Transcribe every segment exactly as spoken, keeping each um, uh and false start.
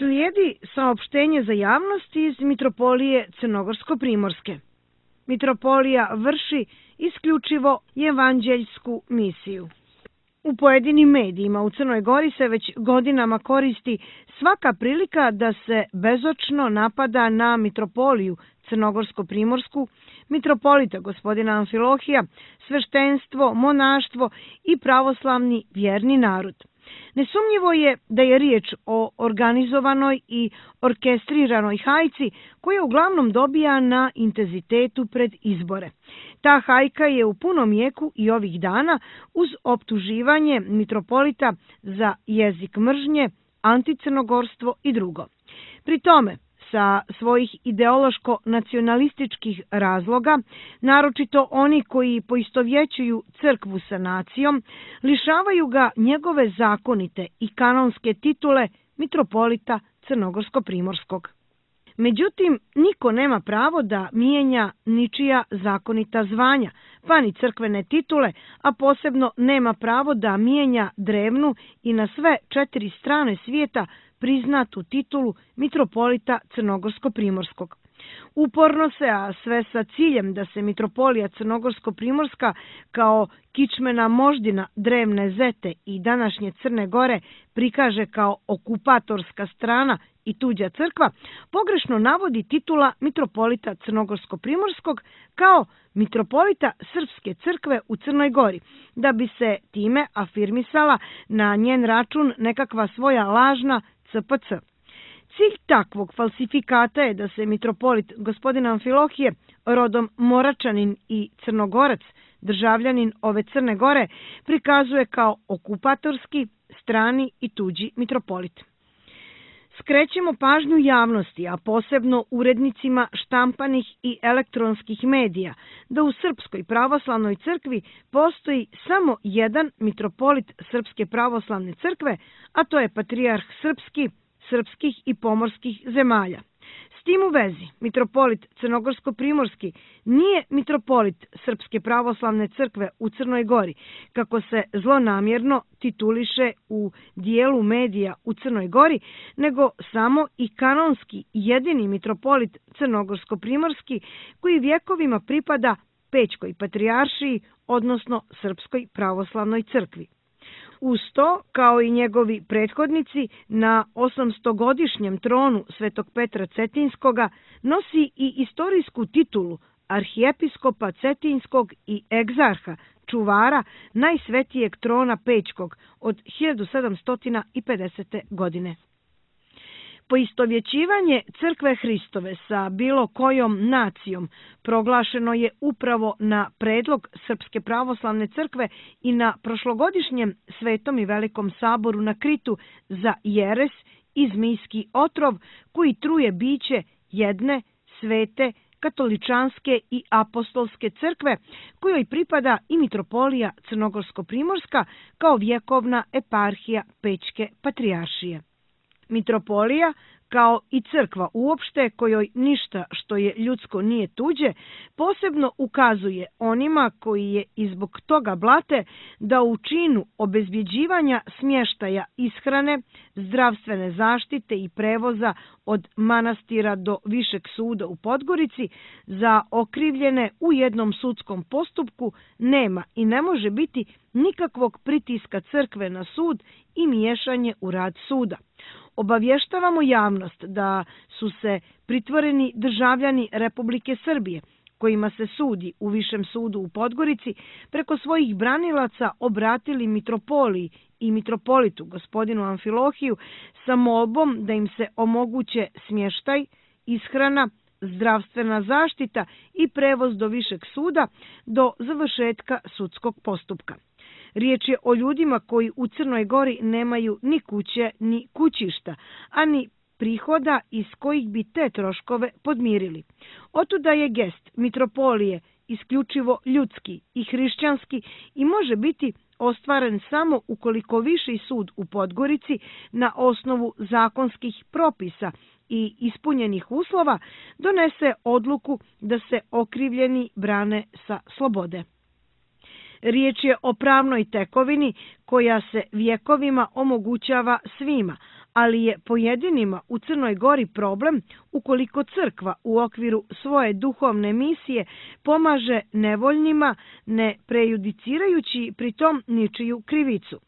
Slijedi saopštenje za javnost iz Mitropolije Crnogorsko-Primorske. Mitropolija vrši isključivo evanđeljsku misiju. U pojedinim medijima u Crnoj Gori se već godinama koristi svaka prilika da se bezočno napada na Mitropoliju Crnogorsko-Primorsku, mitropolita gospodina Amfilohija, sveštenstvo, monaštvo i pravoslavni vjerni narod. Nesumnjivo je da je riječ o organizovanoj i orkestriranoj hajci koja uglavnom dobija na intenzitetu pred izbore. Ta hajka je u punom jeku i ovih dana uz optuživanje mitropolita za jezik mržnje, anticrnogorstvo i drugo. Pri tome, sa svojih ideološko-nacionalističkih razloga, naročito oni koji poistovjećuju crkvu sa nacijom, lišavaju ga njegove zakonite i kanonske titule mitropolita Crnogorsko-Primorskog. Međutim, niko nema pravo da mijenja ničija zakonita zvanja, pa ni crkvene titule, a posebno nema pravo da mijenja drevnu i na sve četiri strane svijeta priznatu titulu mitropolita Crnogorsko-Primorskog. Uporno se, a sve sa ciljem da se mitropolija Crnogorsko-Primorska kao kičmena moždina drevne Zete i današnje Crne Gore prikaže kao okupatorska strana i tuđa crkva, pogrešno navodi titula mitropolita Crnogorsko-Primorskog kao mitropolita Srpske crkve u Crnoj Gori, da bi se time afirmisala na njen račun nekakva svoja lažna C P C. Cilj takvog falsifikata je da se mitropolit gospodin Amfilohije, rodom Moračanin i Crnogorac, državljanin ove Crne Gore, prikazuje kao okupatorski, strani i tuđi mitropolit. Skrećemo pažnju javnosti, a posebno urednicima štampanih i elektronskih medija, da u Srpskoj pravoslavnoj crkvi postoji samo jedan mitropolit Srpske pravoslavne crkve, a to je patrijarh srpski, srpskih i pomorskih zemalja. S tim u vezi, mitropolit Crnogorsko-Primorski nije mitropolit Srpske pravoslavne crkve u Crnoj Gori, kako se zlonamjerno tituliše u dijelu medija u Crnoj Gori, nego samo i kanonski jedini mitropolit Crnogorsko-Primorski koji vjekovima pripada Pećkoj patrijaršiji, odnosno Srpskoj pravoslavnoj crkvi. Uz to, kao i njegovi prethodnici, na osamstogodišnjem tronu Svetog Petra Cetinskoga nosi i istorijsku titulu arhijepiskopa Cetinskog i egzarha, čuvara najsvetijeg trona Pećkog od hiljadu sedamsto pedesete. godine. Poistovjećivanje crkve Hristove sa bilo kojom nacijom proglašeno je upravo na predlog Srpske pravoslavne crkve i na prošlogodišnjem Svetom i Velikom saboru na Kritu za jeres i zmijski otrov koji truje biće jedne svete katoličanske i apostolske crkve kojoj pripada i mitropolija Crnogorsko-Primorska kao vjekovna eparhija Pećke patrijaršije. Mitropolija, kao i crkva uopšte kojoj ništa što je ljudsko nije tuđe, posebno ukazuje onima koji je i zbog toga blate da u činu obezbjeđivanja smještaja, ishrane, zdravstvene zaštite i prevoza od manastira do Višeg suda u Podgorici za okrivljene u jednom sudskom postupku nema i ne može biti nikakvog pritiska crkve na sud i miješanje u rad suda. Obavještavamo javnost da su se pritvoreni državljani Republike Srbije, kojima se sudi u Višem sudu u Podgorici, preko svojih branilaca obratili mitropoliji i mitropolitu gospodinu Amfilohiju sa molbom da im se omoguće smještaj, ishrana, zdravstvena zaštita i prevoz do Višeg suda do završetka sudskog postupka. Riječ je o ljudima koji u Crnoj Gori nemaju ni kuće ni kućišta, a ni prihoda iz kojih bi te troškove podmirili. Otuda je gest mitropolije isključivo ljudski i hrišćanski i može biti ostvaren samo ukoliko Viši sud u Podgorici na osnovu zakonskih propisa i ispunjenih uslova donese odluku da se okrivljeni brane sa slobode. Riječ je o pravnoj tekovini koja se vjekovima omogućava svima, ali je pojedinima u Crnoj Gori problem ukoliko crkva u okviru svoje duhovne misije pomaže nevoljnima, ne prejudicirajući pritom ničiju krivicu.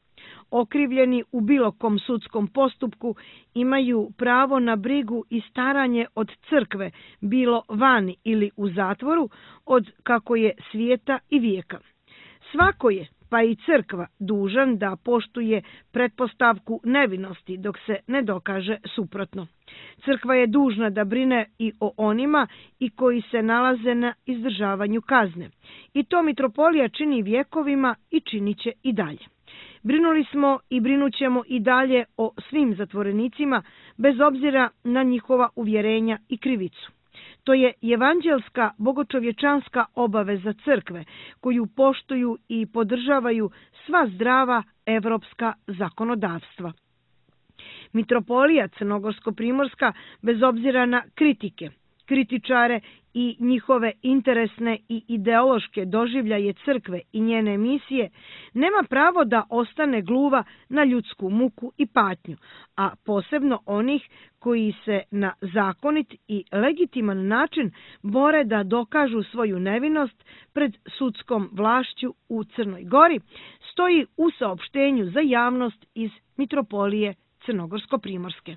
Okrivljeni u bilo kom sudskom postupku imaju pravo na brigu i staranje od crkve, bilo vani ili u zatvoru, od kako je svijeta i vijeka. Svako je, pa i crkva, dužan da poštuje pretpostavku nevinosti dok se ne dokaže suprotno. Crkva je dužna da brine i o onima i koji se nalaze na izdržavanju kazne. I to mitropolija čini vjekovima i činit će i dalje. Brinuli smo i brinućemo i dalje o svim zatvorenicima, bez obzira na njihova uvjerenja i krivicu. To je evanđelska bogočovječanska obaveza crkve, koju poštuju i podržavaju sva zdrava evropska zakonodavstva. Mitropolija Crnogorsko-primorska, bez obzira na kritike, kritičare i njihove interesne i ideološke doživljaje crkve i njene misije, nema pravo da ostane gluva na ljudsku muku i patnju, a posebno onih koji se na zakonit i legitiman način bore da dokažu svoju nevinost pred sudskom vlašću u Crnoj Gori, stoji u saopštenju za javnost iz Mitropolije Crnogorsko-primorske.